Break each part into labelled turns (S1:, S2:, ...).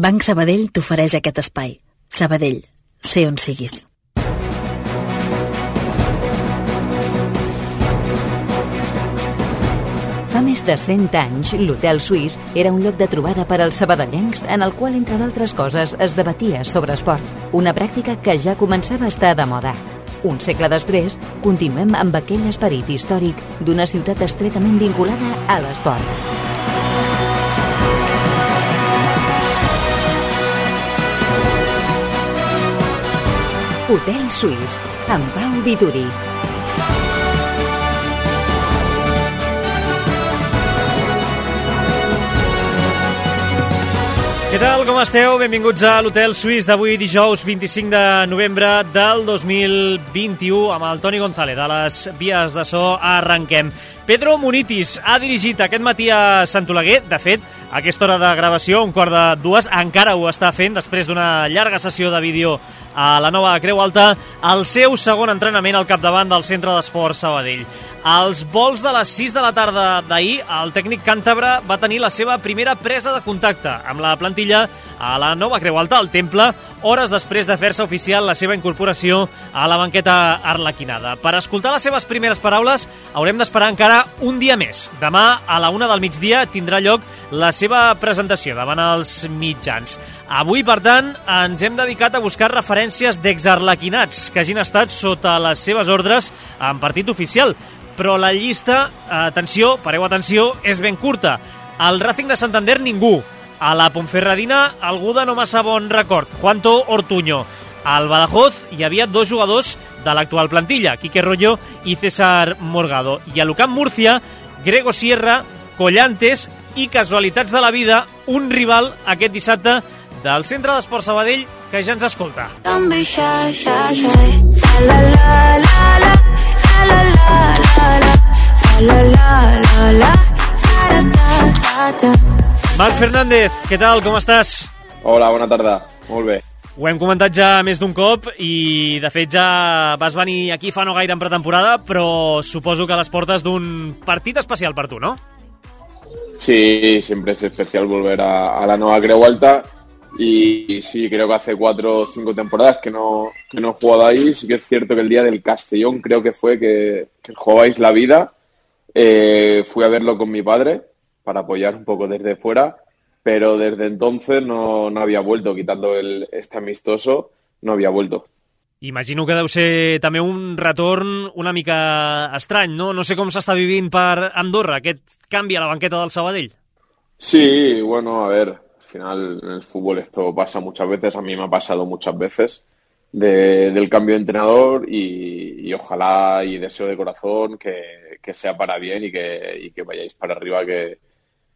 S1: Banc Sabadell t'ofereix aquest espai. Sabadell, sé on siguis.
S2: Fa més de 100 anys, l'Hotel Suís era un lloc de trobada per als sabadellencs en el qual, entre d'altres coses, es debatia sobre esport, una pràctica que ja començava a estar de moda. Un segle després, continuem amb aquell esperit històric d'una ciutat estretament vinculada a l'esport. Hotel Suís, amb Pau Vituri.
S3: Què tal, com esteu? Benvinguts a l'Hotel Suís d'avui, dijous 25 de novembre del 2021, amb el Toni González a les vies de so. Arrenquem. Pedro Munitis ha dirigit aquest matí a Sant Oleguer. De fet, a aquesta hora de gravació, 1:45, encara ho està fent, després d'una llarga sessió de vídeo a la nova Creu Alta, el seu segon entrenament al capdavant del Centre d'Esport Sabadell. Als vols de les 6 de la tarda d'ahir, el tècnic càntabre va tenir la seva primera presa de contacte amb la plantilla a la nova Creu Alta, al Temple, hores després de fer-se oficial la seva incorporació a la banqueta arlequinada. Per escoltar les seves primeres paraules haurem d'esperar encara un dia més. Demà, a la 1 del migdia, tindrà lloc la seva presentació davant els mitjans. Avui, per tant, ens hem dedicat a buscar referències d'exarlequinats que hagin estat sota les seves ordres en partit oficial. Però la llista, atenció, pareu atenció, és ben curta. Al Racing de Santander, ningú. A la Ponferradina, algú de no massa bon record, Juanto Ortuño. Al Badajoz hi havia dos jugadors de l'actual plantilla, Quique Rollo i César Morgado. I a l'Ucamp Múrcia, Grego Sierra, Collantes i, casualitats de la vida, un rival aquest dissabte del Centre d'Esport Sabadell que ja ens escolta. Marc Fernández, què tal, com estàs?
S4: Hola, bona tarda, molt bé.
S3: Ho hem comentat ja més d'un cop i, de fet, ja vas venir aquí fa no gaire en pretemporada, però suposo que a les portes d'un partit especial per tu, ¿no?
S4: Sí, siempre es especial volver a la nueva Creu Alta y sí, creo que hace 4 o 5 temporadas que no he jugado ahí. Sí que es cierto que el día del Castellón creo que fue que jugabais la vida. Fui a verlo con mi padre para apoyar un poco desde fuera, pero desde entonces no había vuelto, quitando este amistoso, no había vuelto.
S3: Imagino que deu ser també un retorn una mica estrany, no? No sé com s'està vivint per Andorra, aquest canvi a la banqueta del Sabadell.
S4: Sí, bueno, a ver, al final en el fútbol esto pasa muchas veces, a mí me ha pasado muchas veces, del cambio de entrenador y ojalá y deseo de corazón que sea para bien y que vayáis para arriba, que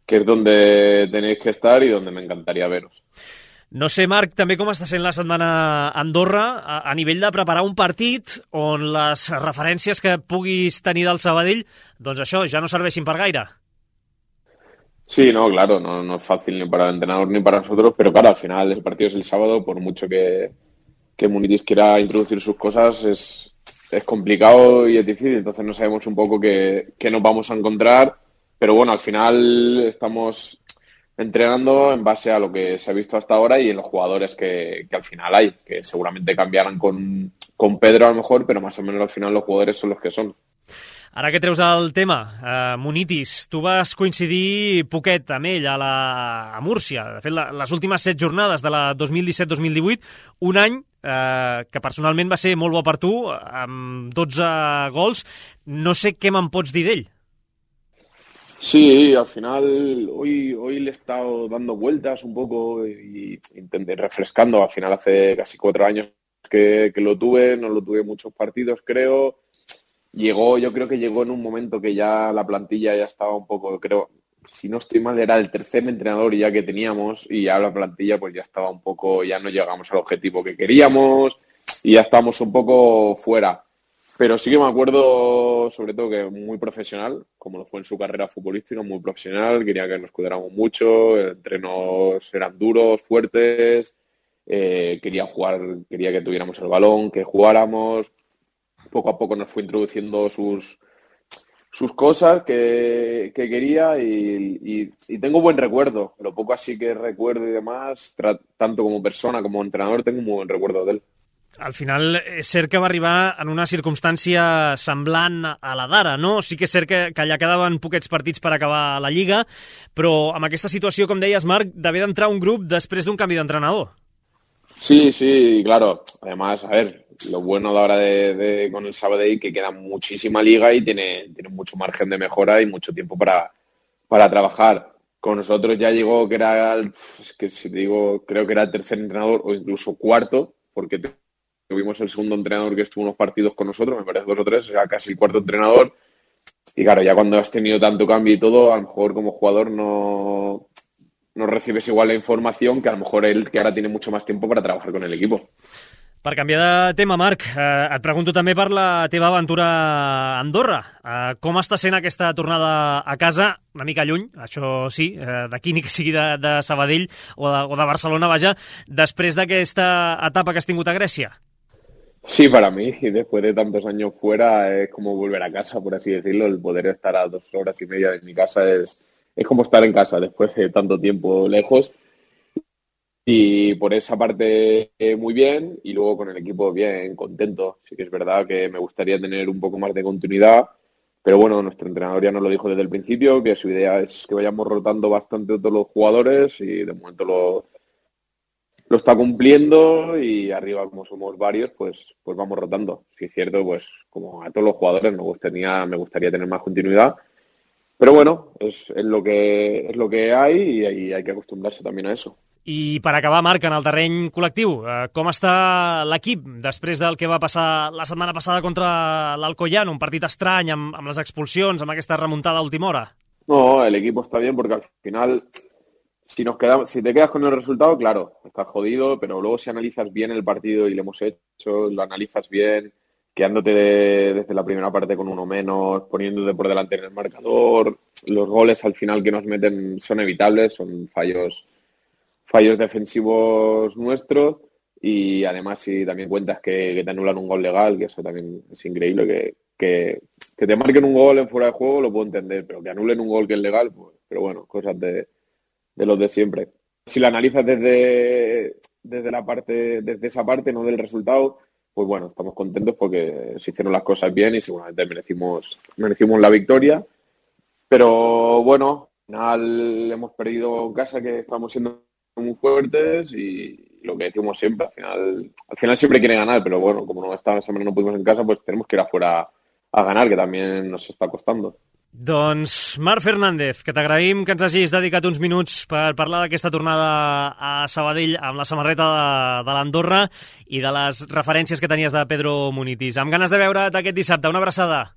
S4: es donde tenéis que estar y donde me encantaría veros.
S3: No sé, Marc, també com està sent la setmana a Andorra a nivell de preparar un partit on les referències que puguis tenir del Sabadell, doncs això, ja no serveixin per gaire.
S4: Sí, no, claro, no es fácil ni para el entrenador ni para nosotros, pero claro, al final el partido es el sábado, por mucho que Munitis quiera introducir sus cosas, es complicado y es difícil, entonces no sabemos un poco qué nos vamos a encontrar, pero bueno, al final estamos entrenando en base a lo que se ha visto hasta ahora y en los jugadores que al final hay, que seguramente cambiarán con Pedro a lo mejor, pero más o menos al final los jugadores son los que son.
S3: Ara que treus el tema, Munitis, tu vas coincidir poquet amb ell a Múrcia. De fet, les últimes 7 jornades de la 2017-2018, un any que personalment va ser molt bo per tu, amb 12 gols. No sé què me'n pots dir d'ell.
S4: Sí, al final hoy le he estado dando vueltas un poco y intenté refrescando. Al final hace casi 4 años que lo tuve, no lo tuve muchos partidos, creo. Yo creo que llegó en un momento que ya la plantilla ya estaba un poco, creo, si no estoy mal, era el tercer entrenador ya que teníamos y ya la plantilla pues ya estaba un poco, ya no llegamos al objetivo que queríamos y ya estábamos un poco fuera. Pero sí que me acuerdo, sobre todo, que muy profesional, como lo fue en su carrera futbolística, muy profesional, quería que nos cuidáramos mucho, entrenos eran duros, fuertes, quería jugar, quería que tuviéramos el balón, que jugáramos. Poco a poco nos fue introduciendo sus sus cosas que quería y tengo buen recuerdo. Lo poco así que recuerdo y demás, tanto como persona como entrenador, tengo un muy buen recuerdo de él.
S3: Al final és cert que va arribar en una circumstància semblant a la d'ara, no? Sí que és cert que allà quedaven poquets partits per acabar la Lliga, però amb aquesta situació, com deies, Marc, d'haver d'entrar un grup després d'un canvi d'entrenador.
S4: Sí, claro. Además, a ver, lo bueno a la hora de con el Sabadell que queda muchísima liga y tiene mucho margen de mejora y mucho tiempo para trabajar. Con nosotros ya llegó que era, que si te digo, creo que era el tercer entrenador o incluso cuarto, porque tuvimos el segundo entrenador que estuvo unos partidos con nosotros, me parece 2 o 3, o sea, casi el cuarto entrenador. Y claro, ya cuando has tenido tanto cambio y todo, a lo mejor como jugador no recibes igual la información que a lo mejor él, que ahora tiene mucho más tiempo para trabajar con el equipo.
S3: Per canviar de tema, Marc, et pregunto també per la teva aventura a Andorra. Com està sent aquesta tornada a casa? Una mica lluny, això sí, d'aquí ni que sigui de Sabadell o de Barcelona, vaja, després d'aquesta etapa que has tingut a Grècia.
S4: Sí, para mí, y después de tantos años fuera, es como volver a casa, por así decirlo. El poder estar a 2 horas y media de mi casa es como estar en casa después de tanto tiempo lejos. Y por esa parte muy bien, y luego con el equipo bien, contento. Sí que es verdad que me gustaría tener un poco más de continuidad, pero bueno, nuestro entrenador ya nos lo dijo desde el principio, que su idea es que vayamos rotando bastante todos los jugadores y de momento lo está cumpliendo y arriba como somos varios, pues vamos rotando. Si es cierto, pues como a todos los jugadores me gustaría tener más continuidad, pero bueno, es lo que hay y hay que acostumbrarse también a eso.
S3: I per acabar, Marc, en el terreny col·lectiu, com està l'equip després del que va passar la setmana passada contra l'Alcoyano, un partit estrany amb les expulsions, amb aquesta remuntada a última hora?
S4: No, el equipo está bien porque al final, si te quedas con el resultado, claro, estás jodido, pero luego si analizas bien el partido y lo hemos hecho, lo analizas bien, quedándote desde la primera parte con uno menos, poniéndote por delante en el marcador, los goles al final que nos meten son evitables, son fallos defensivos nuestros y además si también cuentas que te anulan un gol legal, que eso también es increíble, que te marquen un gol en fuera de juego lo puedo entender, pero que anulen un gol que es legal, pues, pero bueno, cosas de los de siempre. Si lo analizas desde esa parte, no del resultado, pues bueno, estamos contentos porque se hicieron las cosas bien y seguramente merecimos la victoria, pero bueno, al final hemos perdido en casa, que estamos siendo muy fuertes y lo que decimos siempre, al final siempre quiere ganar, pero bueno, como esta semana no pudimos en casa, pues tenemos que ir afuera a ganar, que también nos está costando.
S3: Doncs Marc Fernández, que t'agraïm que ens hagis dedicat uns minuts per parlar d'aquesta tornada a Sabadell amb la samarreta de l'Andorra i de les referències que tenies de Pedro Munitis. Amb ganes de veure't aquest dissabte. Una abraçada.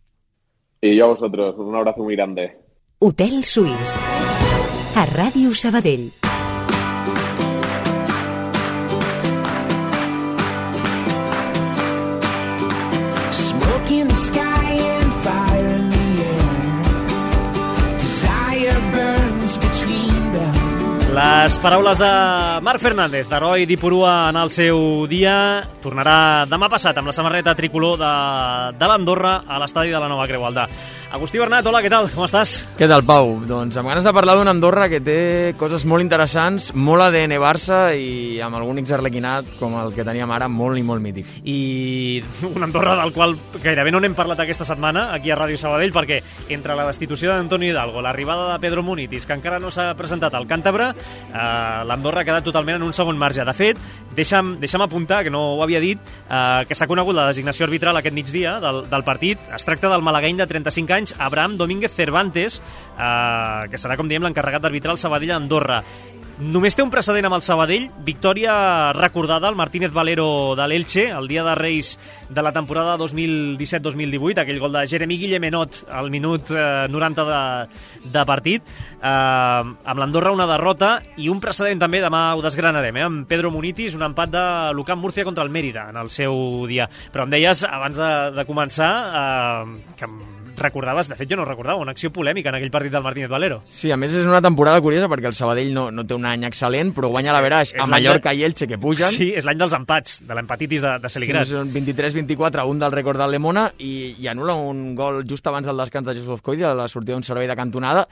S4: Y yo a vosotros, un abrazo muy grande.
S2: Hotel Suís, a Ràdio Sabadell.
S3: Les paraules de Marc Fernández, d'heroi d'Ipurua en el seu dia. Tornarà demà passat amb la samarreta tricolor de l'Andorra a l'estadi de la Nova Creu Alta. Agustí Bernat, hola, què tal? Com estàs?
S5: Què tal, Pau? Doncs amb ganes de parlar d'una Andorra que té coses molt interessants, molt ADN Barça i amb algun xarlequinat com el que teníem ara, molt i molt mític.
S3: I una Andorra del qual gairebé no n'hem parlat aquesta setmana aquí a Ràdio Sabadell, perquè entre la destitució d'Antonio Hidalgo, l'arribada de Pedro Munitis, que encara no s'ha presentat al Càntabre, l'Andorra ha quedat totalment en un segon marge. De fet, deixa'm apuntar, que no ho havia dit, que s'ha conegut la designació arbitral aquest migdia del partit. Es tracta del malagueny de 35 anys, Abraham Domínguez Cervantes, que serà, com diem, l'encarregat d'arbitrar el Sabadell a Andorra. Només té un precedent amb el Sabadell, victòria recordada al Martínez Valero de l'Elche, el dia de Reis de la temporada 2017-2018, aquell gol de Jeremy Guillemenot al minut 90 de partit. Amb l'Andorra una derrota i un precedent també, demà ho desgranarem, amb Pedro Munitis, un empat de l'UCAM Múrcia contra el Mérida en el seu dia. Però em deies, abans de començar, que recordaves, de fet jo no recordava, una acció polèmica en aquell partit del Martínez Valero.
S5: Sí, a més és una temporada curiosa perquè el Sabadell no té un any excel·lent, però guanya l'Averaix a Mallorca i Elche, que pugen.
S3: Sí, és l'any dels empats, de l'empatitis de Celigrat.
S5: Sí, són 23-24, un del rècord del Lemona, i anul·la un gol just abans del descans de Jesús Coide, a la sortida d'un servei de cantonada,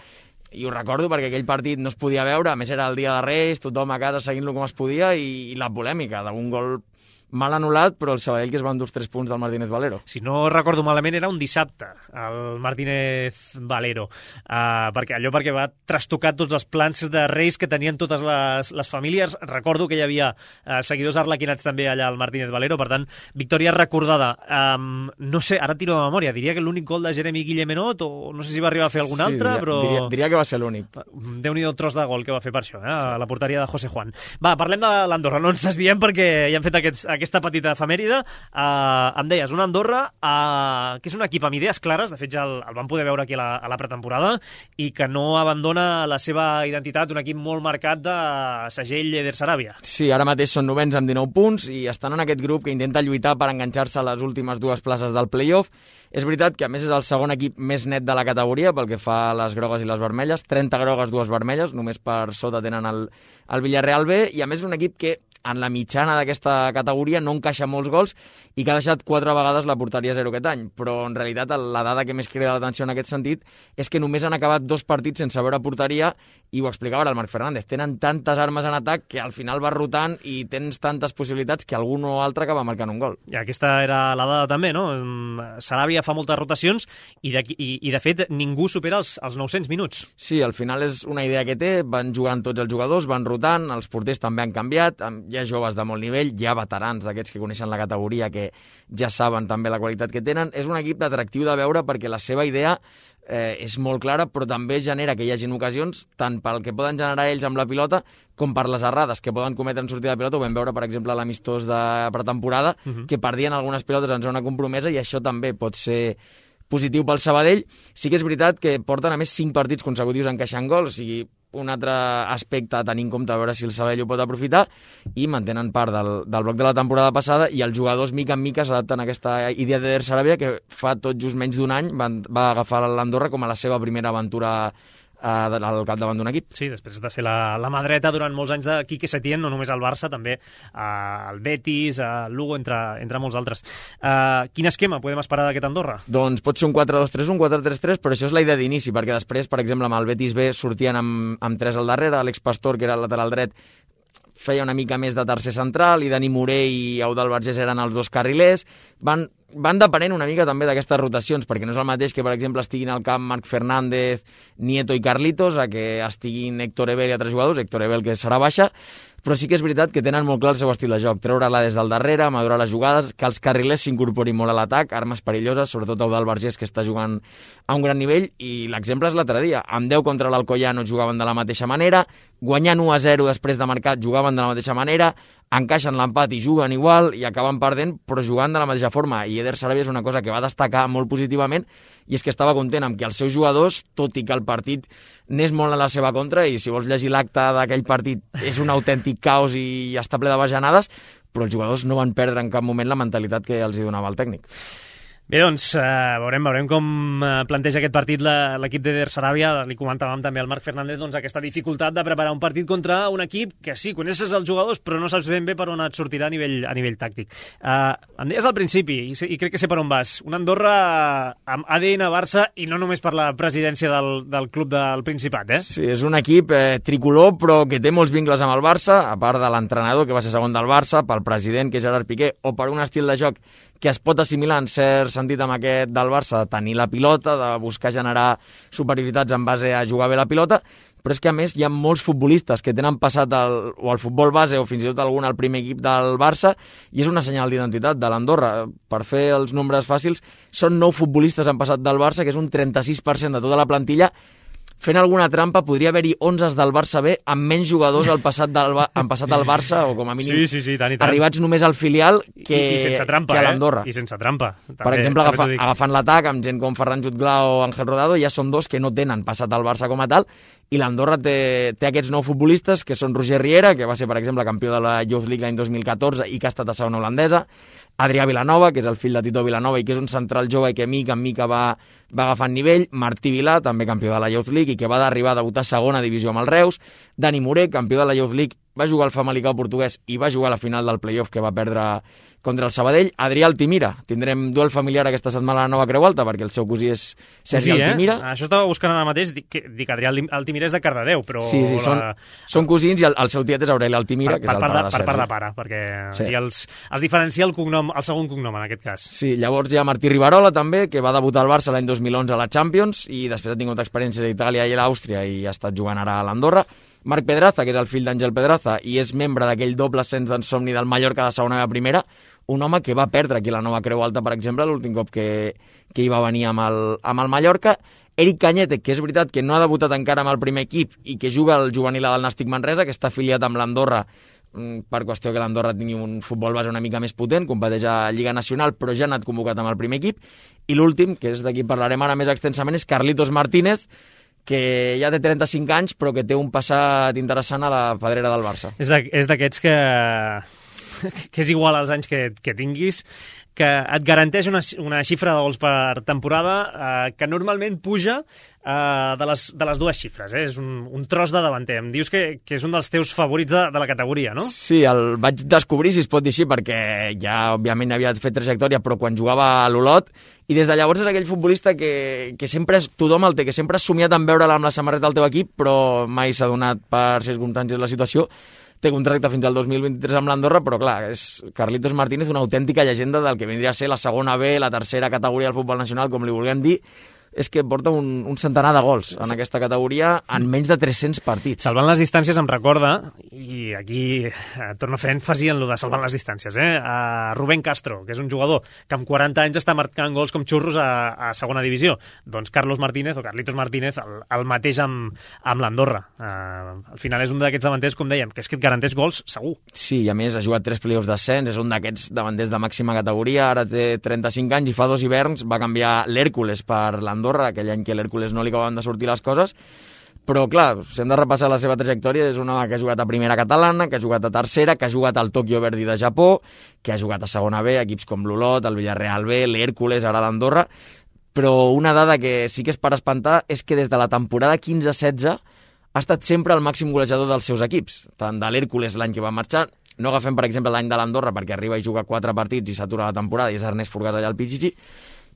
S5: i ho recordo perquè aquell partit no es podia veure, a més era el dia de Reis, tothom a casa seguint-lo com es podia, i la polèmica d'un gol mal anul·lat, però el Sabadell que es va endur els 3 punts del Martínez Valero.
S3: Si no recordo malament, era un dissabte, el Martínez Valero, perquè va trastocar tots els plans de Reis que tenien totes les famílies. Recordo que hi havia seguidors arlequinats també allà al Martínez Valero, per tant, victòria recordada. No sé, ara tiro de memòria, diria que l'únic gol de Jeremy Guillemenot, o no sé si va arribar a fer algun altre, però...
S5: Diria que va ser l'únic.
S3: Déu-n'hi-do el tros de gol que va fer per això, a la porteria de José Juan. Va, parlem de l'Andorra, no ens desviem perquè ja hem fet aquesta petita efemèride. Em deies, un Andorra que és un equip amb idees clares, de fet ja el vam poder veure aquí a la pretemporada, i que no abandona la seva identitat, un equip molt marcat de segell Eder Sarabia.
S5: Sí, ara mateix són 9ens amb 19 punts i estan en aquest grup que intenta lluitar per enganxar-se a les últimes 2 places del play-off. És veritat que a més és el segon equip més net de la categoria pel que fa a les grogues i les vermelles, 30 grogues, 2 vermelles, només per sota tenen el Villarreal B, i a més és un equip que en la mitjana d'aquesta categoria no encaixa molts gols i que ha deixat 4 vegades la porteria a 0 aquest any, però en realitat la dada que més crida l'atenció en aquest sentit és que només han acabat 2 partits sense veure porteria, i ho explicava ara el Marc Fernández, tenen tantes armes en atac que al final vas rotant i tens tantes possibilitats que algun o altre acaba marcant un gol.
S3: I aquesta era la dada també, no? Sarabia fa moltes rotacions i de fet ningú supera els 900 minuts.
S5: Sí, al final és una idea que té, van jugant tots els jugadors, van rotant, els porters també han canviat, hi ha joves de molt nivell, hi ha veterans d'aquests que coneixen la categoria que ja saben també la qualitat que tenen. És un equip atractiu de veure perquè la seva idea és molt clara, però també genera que hi hagin ocasions, tant pel que poden generar ells amb la pilota, com per les errades que poden cometre en sortida de pilota. Ho vam veure, per exemple, a l'amistós de pretemporada, que perdien algunes pilotes en zona compromesa, i això també pot ser positiu pel Sabadell. Sí que és veritat que porten a més 5 partits consecutius encaixant gols, o sigui, un altre aspecte a tenir en compte, a veure si el Sabadell ho pot aprofitar, i mantenen part del bloc de la temporada passada, i els jugadors mica en mica s'adapten a aquesta idea d'Eder Sarabia, que fa tot just menys d'un any va agafar l'Andorra com a la seva primera aventura al capdavant d'un equip.
S3: Sí, després de ser la mà dreta durant molts anys de Quique Setién, no només al Barça, també al Betis, al Lugo, entre molts altres. Quin esquema podem esperar d'aquest Andorra?
S5: Doncs pot ser un 4-2-3, un 4-3-3, però això és la idea d'inici, perquè després, per exemple, amb el Betis B sortien amb 3 al darrere, Àlex Pastor, que era el lateral dret, feia una mica més de tercer central, i Dani Morell i Eudald Vergés eren els 2 carrilers. Van depenent una mica també d'aquestes rotacions, perquè no és el mateix que, per exemple, estiguin al camp Marc Fernández, Nieto i Carlitos, a que estiguin Héctor Ebel i altres jugadors, Héctor Ebel que serà baixa, però sí que és veritat que tenen molt clar el seu estil de joc, treure-la des del darrere, madurar les jugades, que els carrilers s'incorporin molt a l'atac, armes perilloses, sobretot Eudald Vergés, que està jugant a un gran nivell, i l'exemple és l'altre dia. Amb 10 contra l'Alcoyano jugaven de la mateixa manera, guanyant 1-0 després de marcar jugaven de la mateixa manera, encaixen l'empat i juguen igual i acaben perdent, però jugant de la mateixa forma. I Eder Sarabia és una cosa que va destacar molt positivament, i és que estava content amb que els seus jugadors, tot i que el partit n'és molt a la seva contra, i si vols llegir l'acte d'aquell partit és un autèntic caos i està ple de bajanades, però els jugadors no van perdre en cap moment la mentalitat que els hi donava el tècnic.
S3: Bé, doncs veurem com planteja aquest partit l'equip d'Eder Sarabia. Li comentàvem també al Marc Fernández aquesta dificultat de preparar un partit contra un equip que sí, coneixes els jugadors, però no saps ben bé per on et sortirà a nivell tàctic. Em deies al principi, i crec que sé per on vas, un Andorra amb ADN Barça, i no només per la presidència del club del Principat, eh?
S5: Sí, és un equip tricolor, però que té molts vincles amb el Barça, a part de l'entrenador, que va ser segon del Barça, pel president, que és Gerard Piqué, o per un estil de joc que es pot assimilar en cert sentit amb aquest del Barça, de tenir la pilota, de buscar generar superioritats en base a jugar bé la pilota, però és que a més hi ha molts futbolistes que tenen passat o al futbol base o fins i tot algun al primer equip del Barça, i és una senyal d'identitat de l'Andorra. Per fer els nombres fàcils, són 9 futbolistes han passat del Barça, que és un 36% de tota la plantilla. Fent alguna trampa, podria haver-hi 11 del Barça B amb menys jugadors han passat al Barça, o com a mínim
S3: sí, tant.
S5: Arribats només al filial que a l'Andorra.
S3: I sense trampa. També,
S5: per exemple, agafant l'atac amb gent com Ferran Jutgla o Ángel Rodado, ja són 2 que no tenen passat al Barça com a tal, i l'Andorra té aquests 9 futbolistes, que són Roger Riera, que va ser, per exemple, campió de la Youth League l'any 2014 i que ha estat a segona holandesa, Adrià Vilanova, que és el fill de Tito Vilanova i que és un central jove i que mica en mica va agafant nivell, Martí Vilà, també campió de la Youth League i que va arribar a debutar a segona divisió amb el Reus, Dani Moré, campió de la Youth League, va jugar al Famalicão portuguès i va jugar a la final del playoff que va perdre contra el Sabadell. Adrià Altimira, tindrem duel familiar aquesta setmana a la Nova Creu Alta perquè el seu cosí és Sergi Altimira.
S3: Això estava buscant ara mateix, dic Adrià Altimira és de Cardedeu, però...
S5: Sí, són cosins i el seu tiet és Aureli Altimira, que és el pare de Sergi. Per
S3: part de pare, perquè sí. I els diferencia el segon cognom en aquest cas.
S5: Sí, llavors hi ha Martí Rivarola també, que va debutar al Barça l'any 2011 a la Champions i després ha tingut experiències a Itàlia i a l'Àustria i ha estat jugant ara a l'Andorra. Marc Pedraza, que és el fill d'Àngel Pedraza i és membre d'aquell doble ascens d'en somni del Mallorca de segona a primera, un home que va perdre aquí a la Nova Creu Alta, per exemple, l'últim cop que hi va venir amb el Mallorca. Eric Cañete, que és veritat que no ha debutat encara amb el primer equip i que juga al juvenil del Nàstic Manresa, que està afiliat amb l'Andorra per qüestió que l'Andorra tingui un futbol base una mica més potent, competeix a Lliga Nacional, però ja ha anat convocat amb el primer equip. I l'últim, que és d'aquí parlarem ara més extensament, és Carlitos Martínez, que ja té 35 anys, però que té un passat interessant a la pedrera del Barça.
S3: És d'aquests que és igual als anys que tinguis, que et garanteix una xifra de gols per temporada que normalment puja de les dues xifres. És un tros de davanter. Em dius que és un dels teus favorits de la categoria, no?
S5: Sí, el vaig descobrir, si es pot dir així, perquè ja, òbviament, havia fet trajectòria, però quan jugava a l'Olot, i des de llavors és aquell futbolista que sempre tothom el té, que sempre has somiat en veure'l amb la samarreta del teu equip, però mai s'ha donat per circumstàncies la situació. Té contracte fins al 2023 amb l'Andorra, però clar, és Carlitos Martínez una autèntica llegenda del que vindria a ser la segona B, la tercera categoria del futbol nacional, com li vulguem dir. És que porta un centenar de gols en aquesta categoria en menys de 300 partits.
S3: Salvant les distàncies em recorda, i aquí torno a fer èmfasi en lo de salvant les distàncies, a Rubén Castro, que és un jugador que amb 40 anys està marcant gols com xurros a segona divisió. Doncs Carlos Martínez, o Carlitos Martínez, el mateix amb l'Andorra. Al final és un d'aquests davanters, com dèiem, que és que et garanteix gols segur.
S5: Sí, i a més ha jugat 3 playoffs d'ascens, és un d'aquests davanters de màxima categoria, ara té 35 anys i fa 2 hiverns va canviar l'Hèrcules per l'Andorra, aquell any que l'Hèrcules no li acabaven de sortir les coses, però clar, si hem de repassar la seva trajectòria, és un home que ha jugat a primera catalana, que ha jugat a tercera, que ha jugat al Tokyo Verdy de Japó, que ha jugat a segona B, equips com l'Olot, el Villarreal B, l'Hèrcules, ara l'Andorra, però una dada que sí que és per espantar és que des de la temporada 15-16 ha estat sempre el màxim golejador dels seus equips, tant de l'Hèrcules l'any que va marxar, no agafem per exemple l'any de l'Andorra perquè arriba i juga 4 partits i s'atura la temporada i és Ernest Forgàs allà al Pichichi,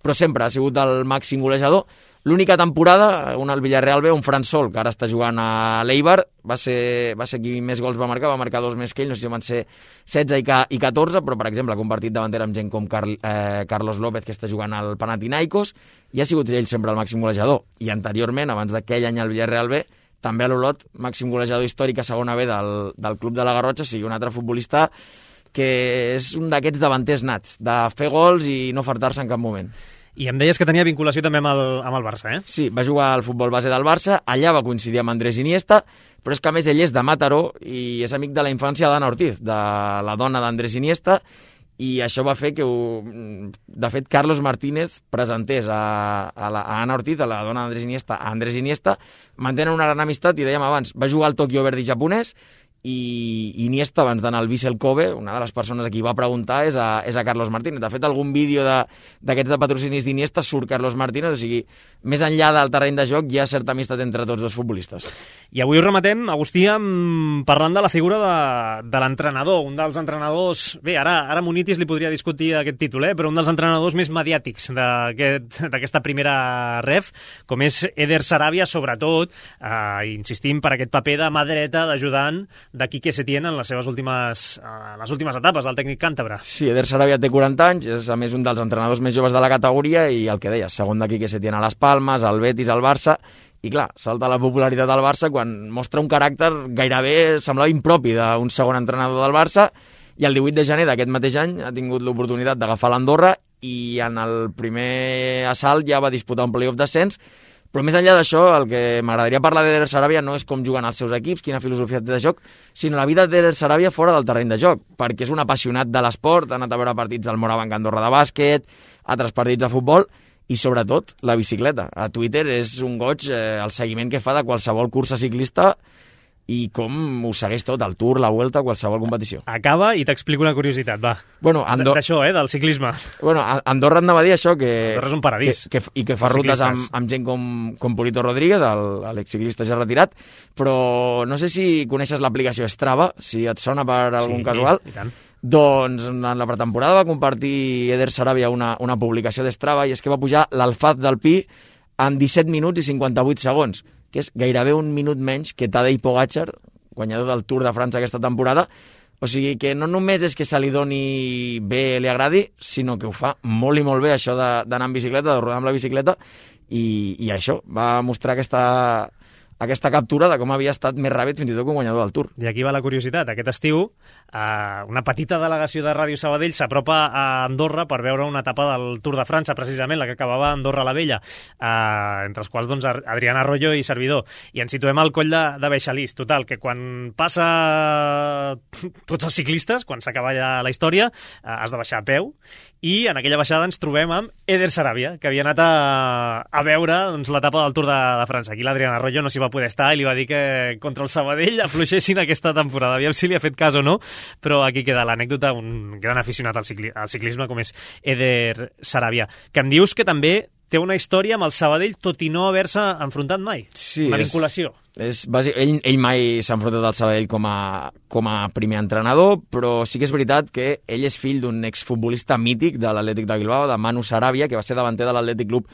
S5: però sempre ha sigut el màxim golejador. L'única temporada, un al Villarreal B, un Fran Sol, que ara està jugant a l'Eibar, va ser qui més gols va marcar 2 més que ell, no sé si van ser 16 i 14, però per exemple ha compartit davanter amb gent com Carlos López, que està jugant al Panathinaikos, i ha sigut ell sempre el màxim golejador. I anteriorment, abans d'aquell any al Villarreal B, també a l'Olot, màxim golejador històric a segona B del club de la Garrotxa, sigui un altre futbolista que és un d'aquests davanters nats, de fer gols i no fartar-se en cap moment.
S3: I em deies que tenia vinculació també amb el Barça, eh?
S5: Sí, va jugar al futbol base del Barça, allà va coincidir amb Andrés Iniesta, però és que a més ell és de Mataró i és amic de la infància d'Anna Ortiz, de la dona d'Andrés Iniesta, i això va fer que, de fet, Carlos Martínez presentés a Anna Ortiz, a la dona d'Andrés Iniesta, a Andrés Iniesta, mantenen una gran amistat i dèiem abans, va jugar al Tokyo Verdy japonès, i Iniesta, abans d'anar al Vissel Kobe, una de les persones a qui va preguntar és a Carlos Martínez. De fet, algun vídeo d'aquests de patrocinis d'Iniesta surt Carlos Martínez, o sigui, més enllà del terreny de joc hi ha certa amistat entre tots dos futbolistes.
S3: I avui ho rematem, Agustí, parlant de la figura de l'entrenador, un dels entrenadors... Bé, ara Munitis li podria discutir aquest títol, però un dels entrenadors més mediàtics d'aquesta primera ref, com és Eder Sarabia, sobretot, insistim, per aquest paper de mà dreta, d'ajudant de Quique Setién en les últimes etapes del tècnic càntabre.
S5: Sí, Eder Sarabia té 40 anys, és a més un dels entrenadors més joves de la categoria i el que deies, segon de Quique Setién a les Palmes, al Betis, al Barça, i clar, salta la popularitat del Barça quan mostra un caràcter gairebé semblava impropi d'un segon entrenador del Barça, i el 18 de gener d'aquest mateix any ha tingut l'oportunitat d'agafar l'Andorra i en el primer assalt ja va disputar un playoff d'ascens. Però més enllà d'això, el que m'agradaria parlar d'Eder Sarabia no és com juguen els seus equips, quina filosofia té de joc, sinó la vida d'Eder Sarabia fora del terreny de joc, perquè és un apassionat de l'esport, ha anat a veure partits del Morabanc Andorra de bàsquet, altres partits de futbol, i sobretot la bicicleta. A Twitter és un goig el seguiment que fa de qualsevol cursa ciclista i com ho segueix tot, el Tour, la Vuelta, qualsevol competició.
S3: Acaba i t'explico una curiositat, va.
S5: Bueno,
S3: d'això, del ciclisme.
S5: Bueno, Andorra anava a dir això, que...
S3: Andorra és un paradís.
S5: I que fa rutes amb gent com Purito Rodríguez, l'exciclista ja retirat, però no sé si coneixes l'aplicació Strava, si et sona per algun casual.
S3: I tant.
S5: Doncs en la pretemporada va compartir Eder Sarabia una publicació d'Strava i és que va pujar l'Alfaz del Pi en 17 minuts i 58 segons, que és gairebé un minut menys que Tadej Pogačar, guanyador del Tour de França aquesta temporada. O sigui que no només és que se li doni bé, li agradi, sinó que ho fa molt i molt bé, això d'anar en bicicleta, de rodar amb la bicicleta, i això va mostrar aquesta captura de com havia estat més ràpid fins i tot que un guanyador del Tour.
S3: I aquí va la curiositat. Aquest estiu, una petita delegació de Ràdio Sabadell s'apropa a Andorra per veure una etapa del Tour de França, precisament, la que acabava a Andorra la Vella, entre els quals doncs, Adrián Arroyo i servidor. I ens situem al coll de Beixalís. Total, que quan passa tots els ciclistes, quan s'acaba ja la història, has de baixar a peu, i en aquella baixada ens trobem amb Eder Sarabia, que havia anat a veure doncs, l'etapa del Tour de França. Aquí l'Adrián Arroyo no s'hi va poder estar i li va dir que contra el Sabadell afluixessin aquesta temporada. Aviam si li ha fet cas o no, però aquí queda l'anècdota, un gran aficionat al ciclisme com és Eder Sarabia, que em dius que també té una història amb el Sabadell tot i no haver-se enfrontat mai.
S5: Sí,
S3: una vinculació.
S5: Ell mai s'ha enfrontat al Sabadell com a primer entrenador, però sí que és veritat que ell és fill d'un exfutbolista mític de l'Atlètic de Bilbao, de Manu Sarabia, que va ser davanter de l'Atlètic Club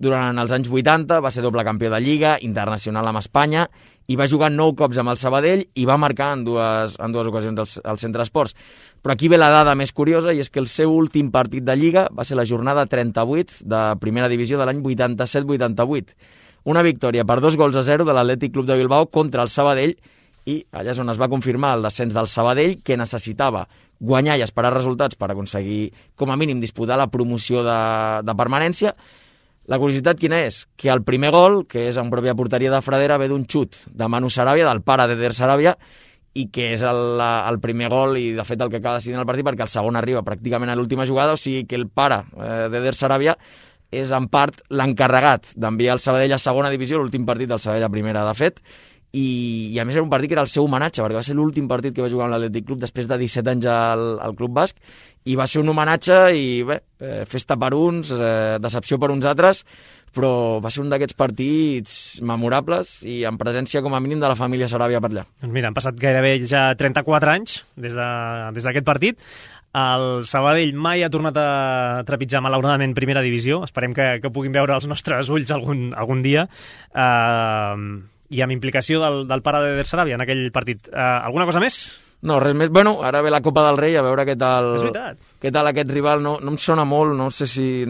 S5: durant els anys 80, va ser doble campió de Lliga, internacional amb Espanya, i va jugar 9 cops amb el Sabadell i va marcar en dues ocasions al Centre Esports. Però aquí ve la dada més curiosa, i és que el seu últim partit de Lliga va ser la jornada 38 de primera divisió de l'any 87-88. Una victòria per 2-0 de l'Atlètic Club de Bilbao contra el Sabadell, i allà és on es va confirmar el descens del Sabadell, que necessitava guanyar i esperar resultats per aconseguir, com a mínim, disputar la promoció de permanència. La curiositat quina és? Que el primer gol, que és en pròpia porteria de Fradera, ve d'un xut de Manu Sarabia, del pare d'Eder Sarabia, i que és el primer gol i, de fet, el que acaba decidint el partit, perquè el segon arriba pràcticament a l'última jugada, o sigui que el pare d'Eder Sarabia és, en part, l'encarregat d'enviar el Sabadell a segona divisió, l'últim partit del Sabadell a primera, de fet, i a més era un partit que era el seu homenatge, perquè va ser l'últim partit que va jugar amb l'Atlètic Club després de 17 anys al Club Basc, i va ser un homenatge i bé, festa per uns, decepció per uns altres, però va ser un d'aquests partits memorables i en presència com a mínim de la família Sarabia per allà.
S3: Doncs mira, han passat gairebé ja 34 anys des d'aquest partit. El Sabadell mai ha tornat a trepitjar malauradament primera divisió. Esperem que puguin veure els nostres ulls algun dia. I amb implicació del pare d'Eder Sarabia en aquell partit. Alguna cosa més?
S5: No, res més. Bueno, ara ve la Copa del Rei, a veure què tal aquest rival. No em sona molt, no sé si...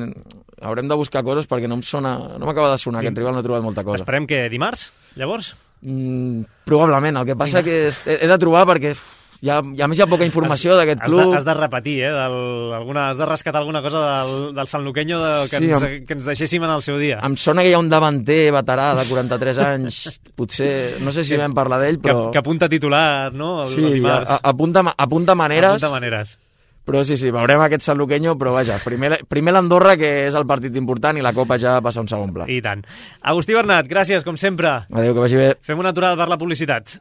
S5: Haurem de buscar coses perquè no m'acaba de sonar aquest rival, no he trobat molta cosa.
S3: Esperem que dimarts, llavors?
S5: Probablement, el que passa que he de trobar perquè... a més hi ha poca informació d'aquest club.
S3: Has de repetir, has de rescatar alguna cosa del sanluqueño que ens deixéssim en el seu dia.
S5: Em sona que hi ha un davanter veterà de 43 anys, potser, no sé si vam parlar d'ell, però...
S3: Que apunta titular, no?
S5: Sí, apunta maneres.
S3: Apunta maneres.
S5: Però sí, veurem aquest sanluqueño, però vaja, primer l'Andorra, que és el partit important, i la Copa ja passa a un segon pla.
S3: I tant. Agustí Bernat, gràcies, com sempre.
S5: Adéu, que vagi bé.
S3: Fem una aturada per la publicitat.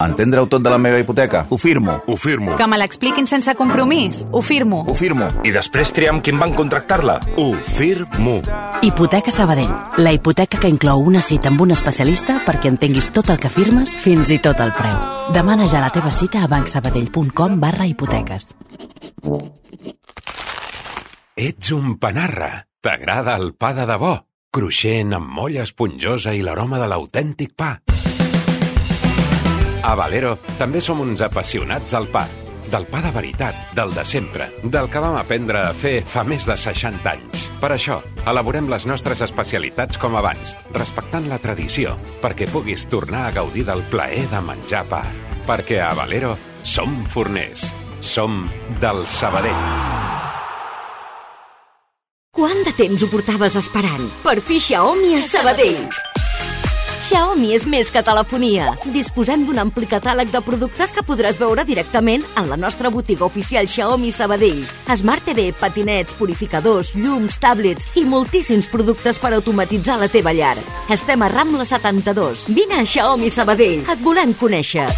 S6: Entendre-ho tot de la meva hipoteca? Ho firmo.
S7: Ho firmo.
S8: Que me l'expliquin sense compromís? Ho firmo.
S6: Ho firmo.
S7: I després triar amb qui em van contractar-la? Ho firmo.
S1: Hipoteca Sabadell. La hipoteca que inclou una cita amb un especialista perquè entenguis tot el que firmes, fins i tot el preu. Demana ja la teva cita a bancsabadell.com/hipoteques.
S7: Ets un panarra. T'agrada el pa de debò? Cruixent, amb molla esponjosa i l'aroma de l'autèntic pa. A Valero també som uns apassionats del pa. Del pa de veritat, del de sempre, del que vam aprendre a fer fa més de 60 anys. Per això, elaborem les nostres especialitats com abans, respectant la tradició, perquè puguis tornar a gaudir del plaer de menjar pa. Perquè a Valero som forners. Som del Sabadell.
S9: Quant de temps ho portaves esperant? Per fi Xiaomi a Sabadell. Xiaomi és més que telefonia. Disposem d'un ampli catàleg de productes que podràs veure directament en la nostra botiga oficial Xiaomi Sabadell. Smart TV, patinets, purificadors, llums, tablets i moltíssims productes per automatitzar la teva llar. Estem a Rambla 72. Vine a Xiaomi Sabadell. Et volem conèixer.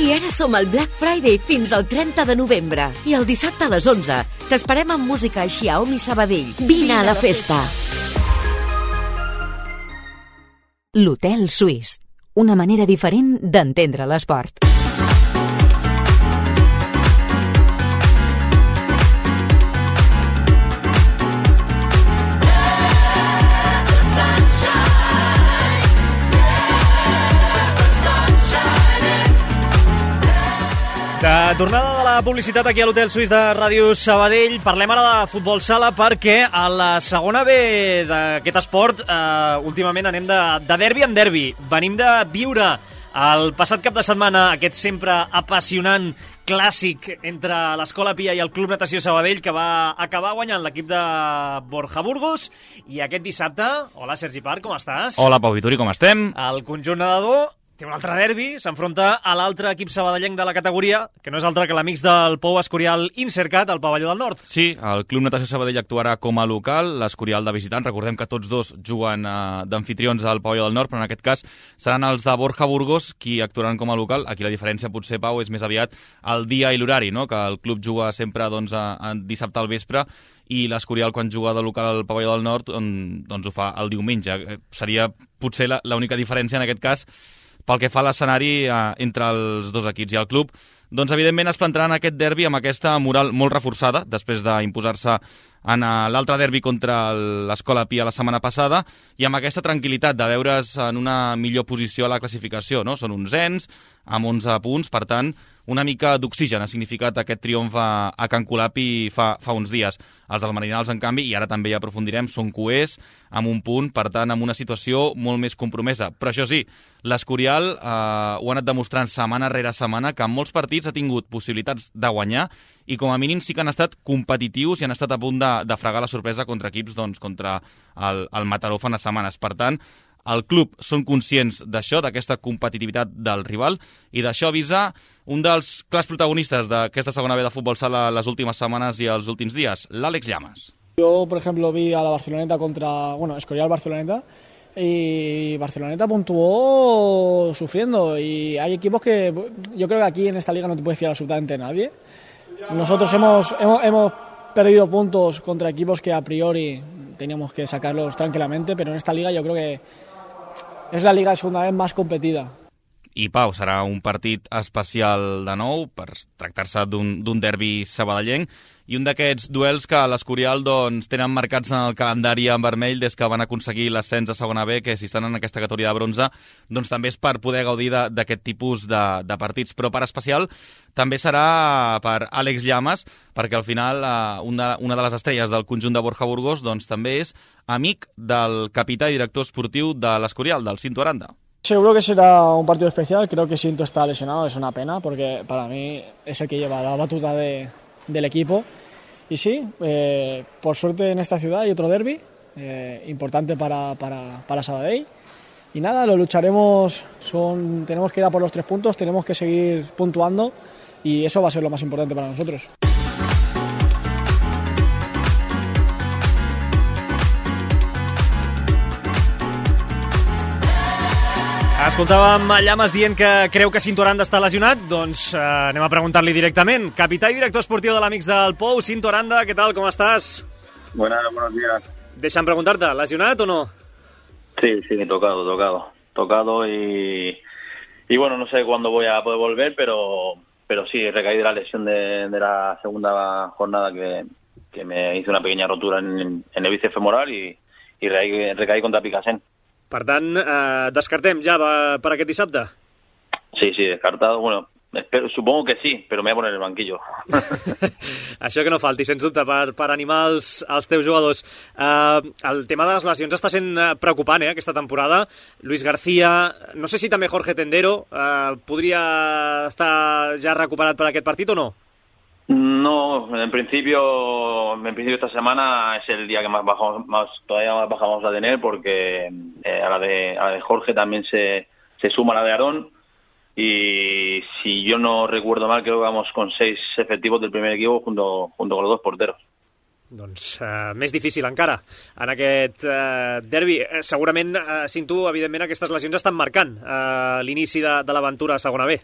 S9: I ara som al Black Friday fins al 30 de novembre. I el dissabte a les 11 t'esperem amb música a Xiaomi Sabadell. Vine a la festa.
S2: L'Hotel Suís. Una manera diferent d'entendre l'esport.
S3: De tornada de la publicitat aquí a l'Hotel Suís de Ràdio Sabadell, parlem ara de futbol sala perquè a la segona B d'aquest esport últimament anem de derbi en derbi. Venim de viure el passat cap de setmana aquest sempre apassionant clàssic entre l'Escola Pia i el Club Natació Sabadell, que va acabar guanyant l'equip de Borja Burgos. I aquest dissabte, hola Sergi Parc, com estàs?
S10: Hola Pau Vituri, com estem?
S3: El conjunt nedador té un altre derbi, s'enfronta a l'altre equip sabadellenc de la categoria, que no és altre que l'amics del Pou Escorial Insercat, al Pavelló del Nord.
S10: Sí, el Club Natació Sabadell actuarà com a local, l'Escorial de visitant. Recordem que tots dos juguen d'anfitrions al Pavelló del Nord, però en aquest cas seran els de Borja Burgos qui actuaran com a local. Aquí la diferència potser, Pau, és més aviat el dia i l'horari, no? Que el club juga sempre dissabte al vespre i l'Escorial, quan juga de local al Pavelló del Nord, doncs ho fa el diumenge. Seria potser l'única diferència en aquest cas pel que fa a l'escenari entre els dos equips. I el club, doncs evidentment es plantarà en aquest derbi amb aquesta moral molt reforçada, després d'imposar-se en l'altre derbi contra l'Escola Pia la setmana passada, i amb aquesta tranquil·litat de veure's en una millor posició a la classificació, no? Són 11ens, amb 11 punts, per tant, una mica d'oxigen ha significat aquest triomf a Can Colapi fa uns dies. Els dels Marinals, en canvi, i ara també hi aprofundirem, són coers, amb un punt, per tant, amb una situació molt més compromesa. Però això sí, l'Escorial ho ha anat demostrant setmana rere setmana, que en molts partits ha tingut possibilitats de guanyar i com a mínim sí que han estat competitius i han estat a punt de fregar la sorpresa contra equips, doncs, contra el Mataró fa unes setmanes. Per tant, el club són conscients d'això, d'aquesta competitivitat del rival, i d'això avisa un dels clars protagonistes d'aquesta segona B de futbol sala les últimes setmanes i els últims dies, l'Àlex Llamas.
S11: Yo, por ejemplo, vi a la Barceloneta contra, Escorial Barceloneta, y Barceloneta puntuó sufriendo, y hay equipos que yo creo que aquí en esta liga no te puedes fiar absolutamente de nadie. Nosotros hemos perdido puntos contra equipos que a priori teníamos que sacarlos tranquilamente, pero en esta liga yo creo que és la liga de segunda vez més competida.
S10: I Pau, serà un partit especial de nou per tractar-se d'un derbi sabadellenc i un d'aquests duels que l'Escorial doncs, tenen marcats en el calendari en vermell des que van aconseguir l'ascens a segona B, que si estan en aquesta categoria de bronze doncs també és per poder gaudir d'aquest tipus de partits. Però per especial també serà per Àlex Llamas, perquè al final una de les estrelles del conjunt de Borja Burgos doncs, també és amic del capità i director esportiu de l'Escorial, del Cinto Aranda.
S11: Seguro que será un partido especial, creo que Cinto está lesionado, es una pena porque para mí es el que lleva la batuta del equipo. Y sí, por suerte en esta ciudad hay otro derbi importante para Sabadell. Y nada, lo lucharemos, tenemos que ir a por los 3 puntos, tenemos que seguir puntuando y eso va a ser lo más importante para nosotros.
S3: Escoltàvem Llamas dient que creu que Cinto Aranda està lesionat, doncs anem a preguntar-li directament. Capità i director esportiu de l'Amics del Pou, Cinto Aranda, ¿qué tal? ¿Cómo estás?
S12: Buenos días.
S3: Deixa'm preguntar-te, ¿lesionat o no?
S12: Sí, tocado y bueno, no sé cuándo voy a poder volver, pero sí, recaí de la lesión de la segunda jornada que me hizo una pequeña rotura en el bíceps femoral y recaí contra Picassent.
S3: Per tant, descartem ja per aquest dissabte?
S12: Sí, descartado. Bueno, supongo que sí, pero me voy a poner en el banquillo.
S3: Això que no falti, sens dubte, per animar els teus jugadors. El tema de les lesions està sent preocupant, aquesta temporada. Luis García, no sé si també Jorge Tendero, podria estar ja recuperat per aquest partit o no?
S12: No, en principio esta semana es el día que todavía más baja vamos a tener, porque a la de Jorge también se suma la de Aarón, y si yo no recuerdo mal, creo que vamos con 6 efectivos del primer equipo junto con los 2 porteros.
S3: Doncs més difícil encara en aquest derbi. Segurament, Cinto, evidentment aquestes lesions estan marcant l'inici de l'aventura a segona B.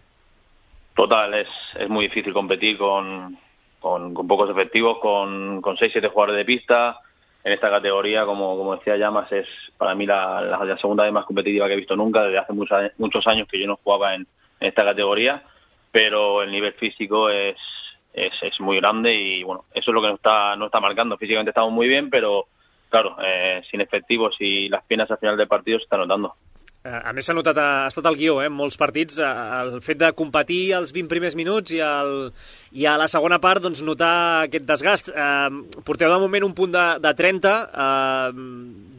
S12: Total, es muy difícil competir con pocos efectivos, con 6-7 jugadores de pista. En esta categoría, como decía Llamas, es para mí la segunda vez más competitiva que he visto nunca, desde hace muchos años que yo no jugaba en esta categoría, pero el nivel físico es muy grande, y bueno, eso es lo que nos está marcando. Físicamente estamos muy bien, pero claro, sin efectivos y las piernas al final del partido se está notando.
S3: A més, s'ha notat, ha estat el guió, en molts partits, el fet de competir els 20 primers minuts i a la segona part doncs, notar aquest desgast. Porteu de moment un punt de 30,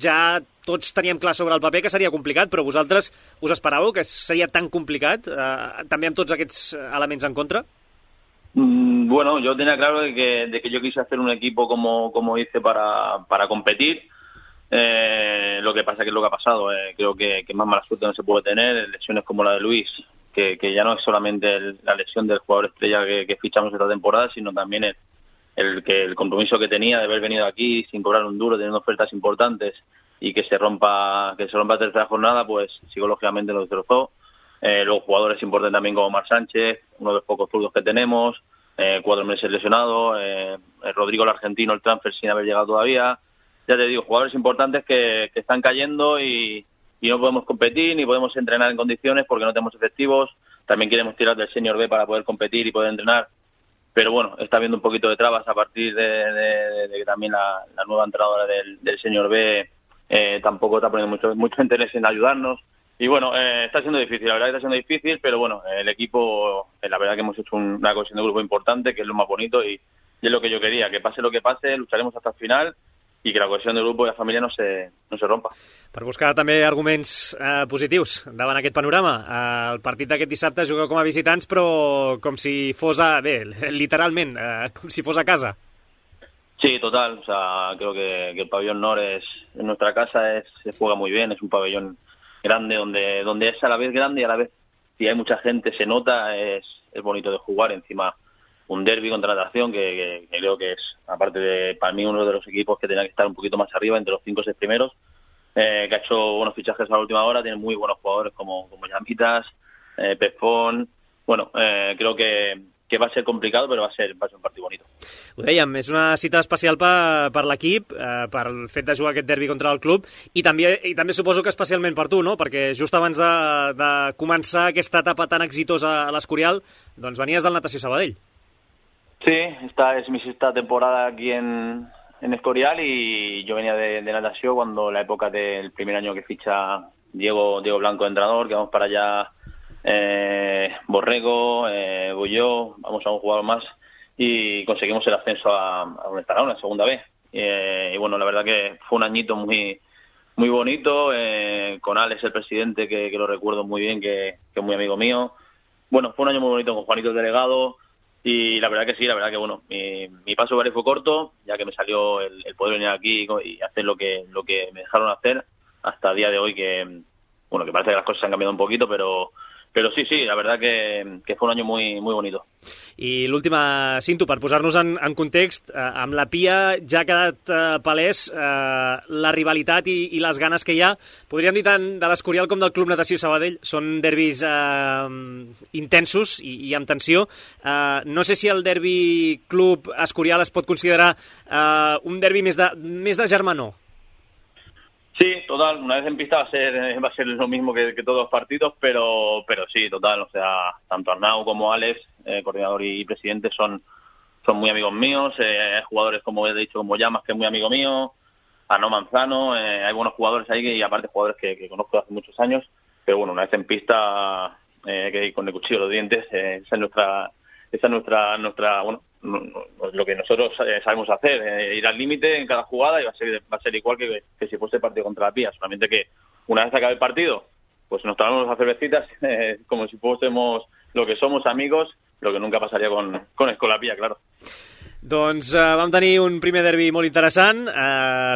S3: ja tots teníem clar sobre el paper que seria complicat, però vosaltres us esperàveu que seria tan complicat, també amb tots aquests elements en contra?
S12: Bueno, yo tenía claro de que yo quise hacer un equipo como hice para competir. Lo que pasa que es lo que ha pasado. Creo que más mala suerte no se puede tener. Lesiones como la de Luis, que ya no es solamente la lesión del jugador estrella que fichamos esta temporada, sino también el compromiso que tenía de haber venido aquí sin cobrar un duro, teniendo ofertas importantes, y que se rompa la tercera jornada, pues psicológicamente lo destrozó. Los jugadores importantes también como Marc Sánchez, uno de los pocos zurdos que tenemos, 4 meses lesionado, Rodrigo el argentino, el transfer sin haber llegado todavía. Ya te digo, jugadores importantes que están cayendo y no podemos competir ni podemos entrenar en condiciones porque no tenemos efectivos. También queremos tirar del Senior B para poder competir y poder entrenar, pero bueno, está habiendo un poquito de trabas a partir de que también la nueva entrenadora del Senior B tampoco está poniendo mucho interés en ayudarnos. Y bueno, está siendo difícil, la verdad que está siendo difícil, pero bueno, el equipo, la verdad que hemos hecho una cohesión de grupo importante, que es lo más bonito, y es lo que yo quería, que pase lo que pase, lucharemos hasta el final, i que la cohesió del grup i la família no se rompa.
S3: Per buscar també arguments positius davant aquest panorama. El partit d'aquest dissabte jugueu com a visitants, però com si fos literalment, com si fos a casa.
S12: Sí, total. O sea, creo que el pabellón Nord en nuestra casa se juega muy bien, es un pabellón grande donde es a la vez grande y a la vez, si hay mucha gente, se nota, es bonito de jugar. Encima, un derbi contra Natación que creo que es, aparte de, para mí, uno de los equipos que tenía que estar un poquito más arriba, entre los 5 o 6 primeros, que ha hecho buenos fichajes a la última hora, tiene muy buenos jugadores como Llamitas, Pefón. Bueno, creo que va a ser complicado, però va a ser un partit bonito.
S3: Ho dèiem, és una cita especial per l'equip, per el fet de jugar aquest derbi contra el club, i també suposo que especialment per tu, no? Perquè just abans de començar aquesta etapa tan exitosa a l'Escorial, doncs venies del Natació Sabadell.
S12: Sí, esta es mi 6ª temporada aquí en Escorial, y yo venía de natación cuando la época del primer año que ficha Diego Blanco, entrenador, que vamos para allá, Borrego, Bulló, vamos a un jugador más, y conseguimos el ascenso a donde estará una segunda vez. Y bueno, la verdad que fue un añito muy muy bonito, con Alex, el presidente, que lo recuerdo muy bien, que es muy amigo mío. Bueno, fue un año muy bonito con Juanito el delegado. Y la verdad que sí, la verdad que bueno, mi paso por ahí fue corto, ya que me salió el poder venir aquí y hacer lo que me dejaron hacer hasta el día de hoy, que bueno, que parece que las cosas han cambiado un poquito, pero sí, la verdad que fue un año muy muy bonito.
S3: I l'última, Cinto, per posar-nos en context, amb la Pia ja ha quedat palès la rivalitat i les ganes que hi ha. Podríem dir tant de l'Escorial com del Club Natació Sabadell. Són derbis intensos i amb tensió. No sé si el derbi Club Escorial es pot considerar un derbi més de germanor.
S12: Sí, total, una vez en pista va a ser lo mismo que todos los partidos, pero sí, total, o sea, tanto Arnau como Alex, coordinador y presidente, son muy amigos míos, hay jugadores, como he dicho, como Llamas, que es muy amigo mío, Arnau Manzano, hay buenos jugadores ahí, y aparte jugadores que conozco hace muchos años, pero bueno, una vez en pista, que con el cuchillo de los dientes, esa es nuestra bueno, lo que nosotros sabemos hacer, ir al límite en cada jugada, y va a ser igual que si fuese partido contra la Pía, solamente que una vez acabe el partido, pues nos tomamos las cervecitas como si fuésemos lo que somos, amigos, que nunca pasaría con Escolapía, claro.
S3: Doncs vam tenir un primer derbi molt interessant,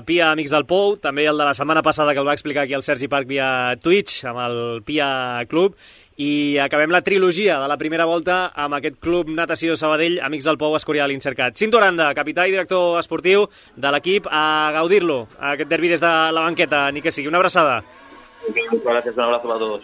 S3: Pia Amics del Pou, també el de la setmana passada que el va explicar aquí el Sergi Parc via Twitch, amb el Pia Club, i acabem la trilogia de la primera volta amb aquest Club Natació Sabadell, Amics del Pou, Escorial, Insercat. Cinto Aranda, capità i director esportiu de l'equip, a gaudir-lo, aquest derbi des de la banqueta, ni que sigui. Una abraçada.
S12: Muchas gracias, un abrazo para todos.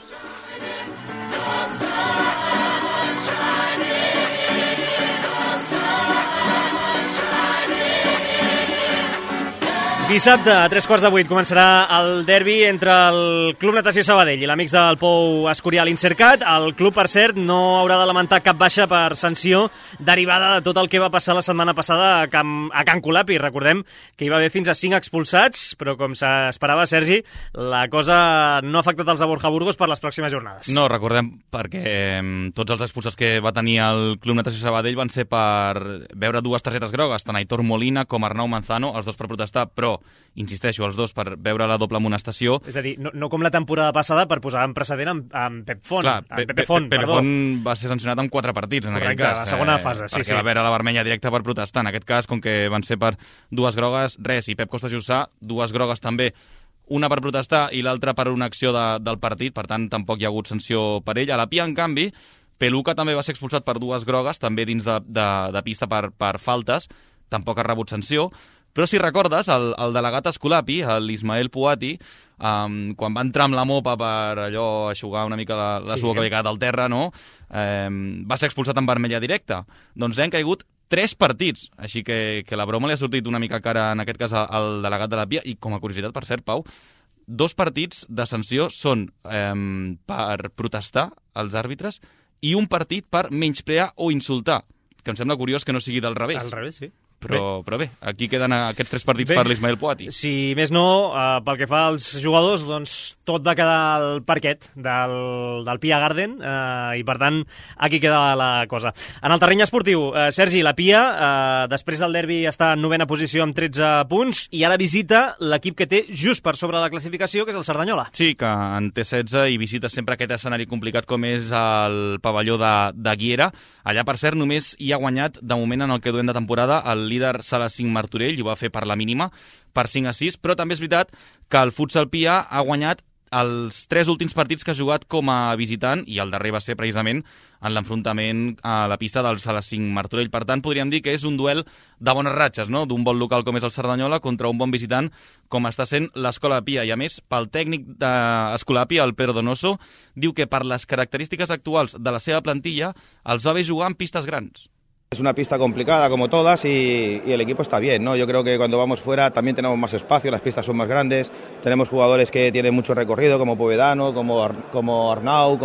S3: Dissabte, a 7:45, començarà el derbi entre el Club Natació Sabadell i l'Amics del Pou Escorial Insercat. El club, per cert, no haurà de lamentar cap baixa per sanció derivada de tot el que va passar la setmana passada a Can Colapi. Recordem que hi va haver fins a 5 expulsats, però com s'esperava, Sergi, la cosa no ha afectat els de Borja Burgos per les pròximes jornades.
S10: No, recordem, perquè tots els expulsats que va tenir el Club Natació Sabadell van ser per veure 2 targetes grogues, tant Aitor Molina com Arnau Manzano, els 2 per protestar, però insisteixo, els 2 per veure la doble amonestació.
S3: És a dir, no com la temporada passada per posar en precedent amb Pep Font.
S10: Clar, Pepe Font va ser sancionat amb 4 partits en aquell cas.
S3: La segona fase, sí.
S10: Perquè va veure la vermella directa per protestar. En aquest cas, com que van ser per 2 grogues, res. I Pep Costa Jussà, 2 grogues també. Una per protestar i l'altra per una acció del partit, per tant, tampoc hi ha hagut sanció per ell. A la Pia, en canvi, Peluca també va ser expulsat per 2 grogues, també dins de pista per faltes, tampoc ha rebut sanció. Però si recordes, el delegat Escolapi, l'Ismael Puati, quan va entrar amb la mopa per allò eixugar una mica la suor que havia quedat al terra, no? Va ser expulsat amb vermella directa. Doncs han caigut 3 partits, així que la broma li ha sortit una mica cara, en aquest cas, al delegat de la Pia. I com a curiositat, per cert, Pau, 2 partits de sanció són per protestar als àrbitres i un partit per menysprear o insultar, que em sembla curiós que no sigui del revés.
S3: Al revés, sí.
S10: Però bé, aquí queden aquests 3 partits per l'Ismael Puati.
S3: Si més no, pel que fa als jugadors, doncs tot va quedar al parquet del Pia Garden i, per tant, aquí queda la cosa. En el terreny esportiu, Sergi, la Pia, després del derbi, està en 9ª posició amb 13 punts i ara visita l'equip que té just per sobre la classificació, que és el Cerdanyola.
S10: Sí, que en té 16 i visita sempre aquest escenari complicat com és el pavelló de Guiera. Allà, per cert, només hi ha guanyat, de moment, en el que duem de temporada, el líder Sala 5 Martorell, i ho va fer per la mínima, per 5-6, però també és veritat que el Futsal Pia ha guanyat els 3 últims partits que ha jugat com a visitant, i el darrer va ser precisament en l'enfrontament a la pista del Sala 5 Martorell. Per tant, podríem dir que és un duel de bones ratxes, no? D'un bon local com és el Cerdanyola contra un bon visitant com està sent l'Escola Pia. I a més, pel tècnic d'Escola Pia, el Pedro Donoso, diu que per les característiques actuals de la seva plantilla els va bé jugar en pistes grans.
S13: Es una pista complicada como todas y el equipo está bien, ¿no? Yo creo que cuando vamos fuera también tenemos más espacio, las pistas son más grandes, tenemos jugadores que tienen mucho recorrido como Povedano, como Arnau,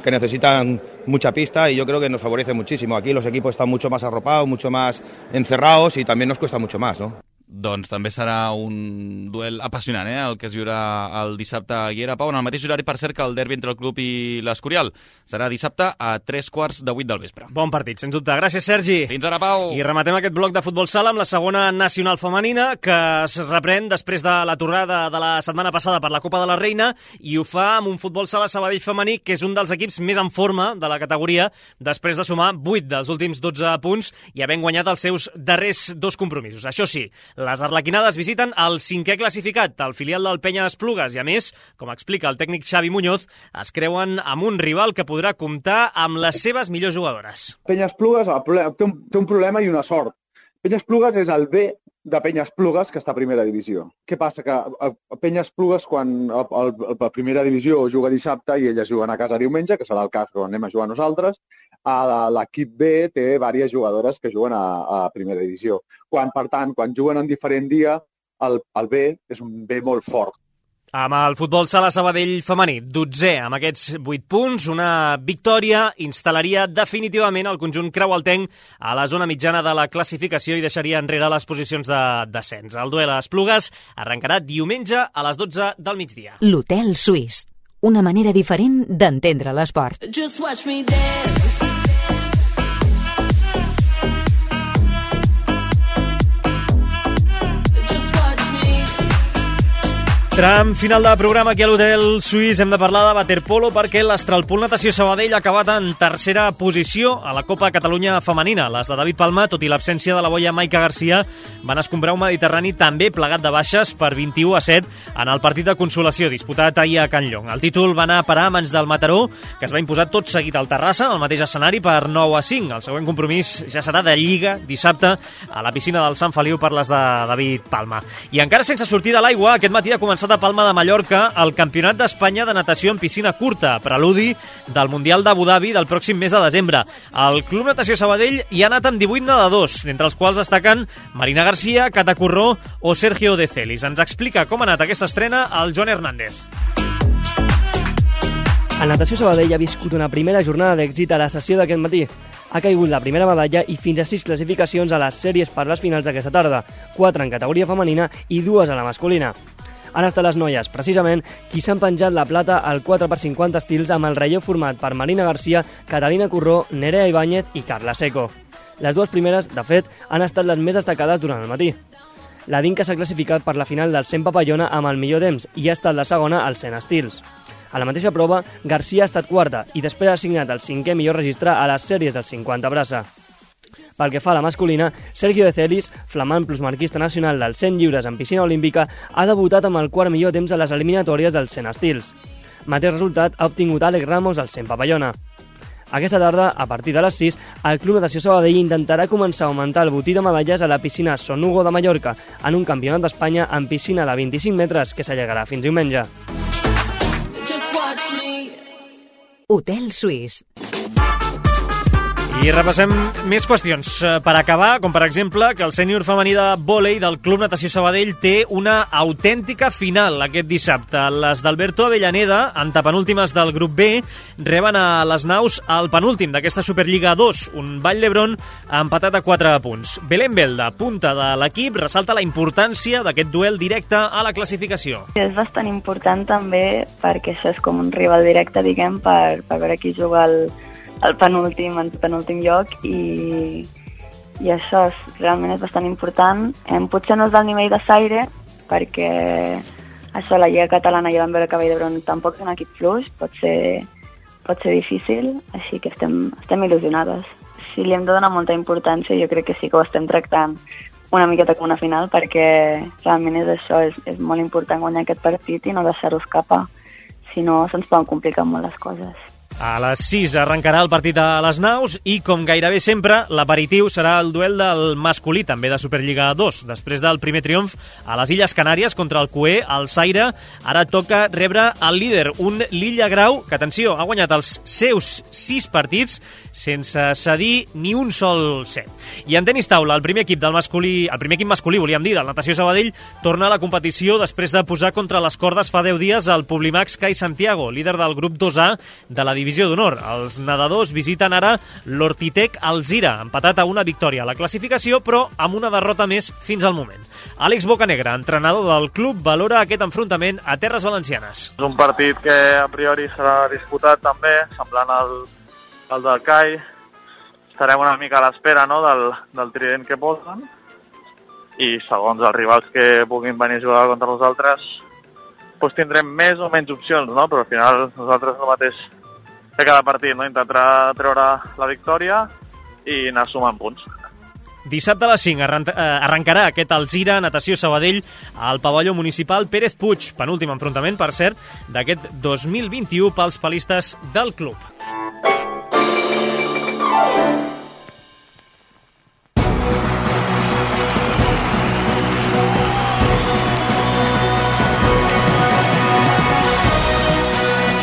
S13: que necesitan mucha pista y yo creo que nos favorece muchísimo. Aquí los equipos están mucho más arropados, mucho más encerrados y también nos cuesta mucho más, ¿no?
S10: Doncs també serà un duel apassionant, el que es viurà el dissabte a Guiera. Pau, en el mateix horari, per cert, que el derbi entre el club i l'Escorial. Serà dissabte a 7:45 del vespre.
S3: Bon partit, sens dubte. Gràcies, Sergi.
S10: Fins ara, Pau.
S3: I rematem aquest bloc de futbol sala amb la segona nacional femenina, que es reprèn després de la tornada de la setmana passada per la Copa de la Reina, i ho fa amb un futbol sala Sabadell femení, que és un dels equips més en forma de la categoria, després de sumar 8 dels últims 12 punts i havent guanyat els seus darrers 2 compromisos. Això sí, les arlequinades visiten el 5è classificat, el filial del Penya Esplugues, i a més, com explica el tècnic Xavi Muñoz, es creuen amb un rival que podrà comptar amb les seves millors jugadores.
S14: Penya Esplugues té un problema i una sort. Penya Esplugues és el B de Penya Esplugues, que està a primera divisió. Què passa? Que a Penya Esplugues, quan a primera divisió juga dissabte i elles juguen a casa diumenge, que serà el cas quan anem a jugar nosaltres, l'equip B té diverses jugadores que juguen a primera divisió. Per tant, quan juguen en diferent dia, el B és un B molt fort.
S3: Amb el futbol sala Sabadell femení, 12è amb aquests 8 punts, una victòria instal·laria definitivament el conjunt creualtenc a la zona mitjana de la classificació i deixaria enrere les posicions de descens. El duel a Esplugues arrencarà diumenge a les 12 del migdia.
S2: L'Hotel Suís, una manera diferent d'entendre l'esport.
S15: Just watch me dance.
S3: Tram final de programa aquí a l'Hotel Suís. Hem de parlar de waterpolo perquè l'Astralpool Natació Sabadell ha acabat en tercera posició a la Copa Catalunya Femenina. Les de David Palma, tot i l'absència de la boia Maica Garcia, van escombrar un Mediterrani també plegat de baixes per 21-7 en el partit de consolació disputat ahir a Can Llong. El títol va anar a parar a mans del Mataró, que es va imposar tot seguit al Terrassa, en el mateix escenari, per 9-5. El següent compromís ja serà de Lliga dissabte a la piscina del Sant Feliu per les de David Palma. I encara sense sortir de l'aigua, aquest matí ha començat a Palma de Mallorca el Campionat d'Espanya de natació en piscina curta, preludi del Mundial d'Abu Dhabi del pròxim mes de desembre. El Club Natació Sabadell hi ha anat amb 18 nedadors, entre els quals destaquen Marina Garcia, Cata Corró o Sergio De Celis. Ens explica com ha anat aquesta estrena el Joan Hernández.
S16: El Natació Sabadell ha viscut una primera jornada d'èxit a la sessió d'aquest matí. Ha caigut la primera medalla i fins a 6 classificacions a les sèries per les finals d'aquesta tarda, 4 en categoria femenina i 2 a la masculina. Han estat les noies, precisament, qui s'han penjat la plata al 4x50 estils amb el relleu format per Marina Garcia, Carolina Corró, Nerea Ibáñez i Carla Seco. Les dues primeres, de fet, han estat les més destacades durant el matí. La Dinka s'ha classificat per la final del 100 papallona amb el millor temps i ha estat la segona als 100 estils. A la mateixa prova, Garcia ha estat quarta i després ha signat el 5è millor registre a les sèries del 50 braça. Pel que fa a la masculina, Sergio De Celis, flamant plusmarquista nacional dels 100 lliures en piscina olímpica, ha debutat amb el quart millor temps a les eliminatòries dels 100 estils. Mateix resultat ha obtingut Àlex Ramos al 100 papallona. Aquesta tarda, a partir de les 6, el Club Natació Sabadell intentarà començar a augmentar el botí de medalles a la piscina Son Hugo de Mallorca en un campionat d'Espanya en piscina de 25 metres que s'allargarà fins diumenge.
S2: Hotel Suís.
S3: I repassem més qüestions per acabar, com per exemple que el sènior femení de vòlei del Club Natació Sabadell té una autèntica final aquest dissabte. Les d'Alberto Avellaneda, antepenúltimes del grup B, reben a les naus el penúltim d'aquesta Superliga 2, un Vall d'Hebron empatat a 4 punts. Belén Belda, punta de l'equip, ressalta la importància d'aquest duel directe a la classificació.
S17: És bastant important també perquè això és com un rival directe, diguem, per veure qui juga el penúltim lloc i això realment és bastant important. Potser no és del nivell de Saire perquè això la Lliga Catalana ja vam veure que Vall d'Hebron tampoc és un equip fluix, pot ser difícil, així que estem il·lusionades. Si li hem de donar molta importància, jo crec que sí que ho estem tractant una miqueta com una final perquè realment és això, és molt important guanyar aquest partit i no deixar-ho escapar, si no se'ns poden complicar molt les coses.
S3: A les 6 arrencarà el partit a les naus i, com gairebé sempre, l'aperitiu serà el duel del masculí, també de Superliga 2. Després del primer triomf a les Illes Canàries contra el Cué, el Saire, ara toca rebre el líder, un Lilla Grau, que, atenció, ha guanyat els seus 6 partits sense cedir ni un sol set. I en tenis taula, el primer equip masculí, volíem dir, del Natació Sabadell, torna a la competició després de posar contra les cordes fa 10 dies el Publimax Cai Santiago, líder del grup 2A de la divisió d'honor. Els nedadors visiten ara l'Hortitec Alzira, empatat a una victòria a la classificació, però amb una derrota més fins al moment. Àlex Bocanegra, entrenador del club, valora aquest enfrontament a terres valencianes.
S18: És un partit que a priori serà disputat també, semblant al del CAI. Estarem una mica a l'espera, no?, del trident que posen i segons els rivals que puguin venir a jugar contra nosaltres doncs tindrem més o menys opcions, no? Però al final nosaltres el mateix que cada partit, no? Intentar treure la victòria i anar sumant punts.
S3: Dissabte a les 5 arrencarà aquest Alzira Natació Sabadell al pavelló municipal Pérez Puig, penúltim enfrontament, per cert, d'aquest 2021 pels palistes del club.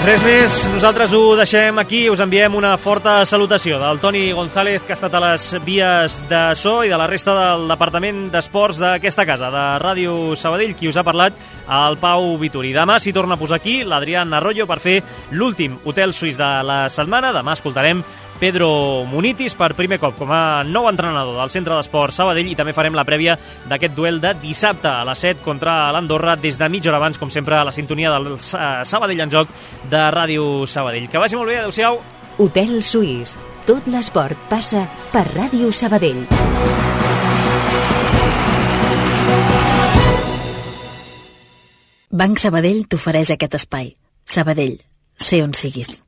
S3: Res més, nosaltres ho deixem aquí, us enviem una forta salutació del Toni González, que ha estat a les vies de so, i de la resta del Departament d'Esports d'aquesta casa, de Ràdio Sabadell, qui us ha parlat, el Pau Vituri. Demà s'hi torna a posar aquí l'Adrián Arroyo per fer l'últim Hotel Suís de la setmana. Demà escoltarem Pedro Munitis per primer cop com a nou entrenador del Centre d'Esports Sabadell, i també farem la prèvia d'aquest duel de dissabte a les 7 contra l'Andorra des de mitja hora abans, com sempre, a la sintonia del Sabadell en Joc de Ràdio Sabadell. Que vagi molt bé, adeu-siau.
S2: Hotel Suís. Tot l'esport passa per Ràdio Sabadell.
S19: Banc Sabadell t'ofereix aquest espai. Sabadell, sé on siguis.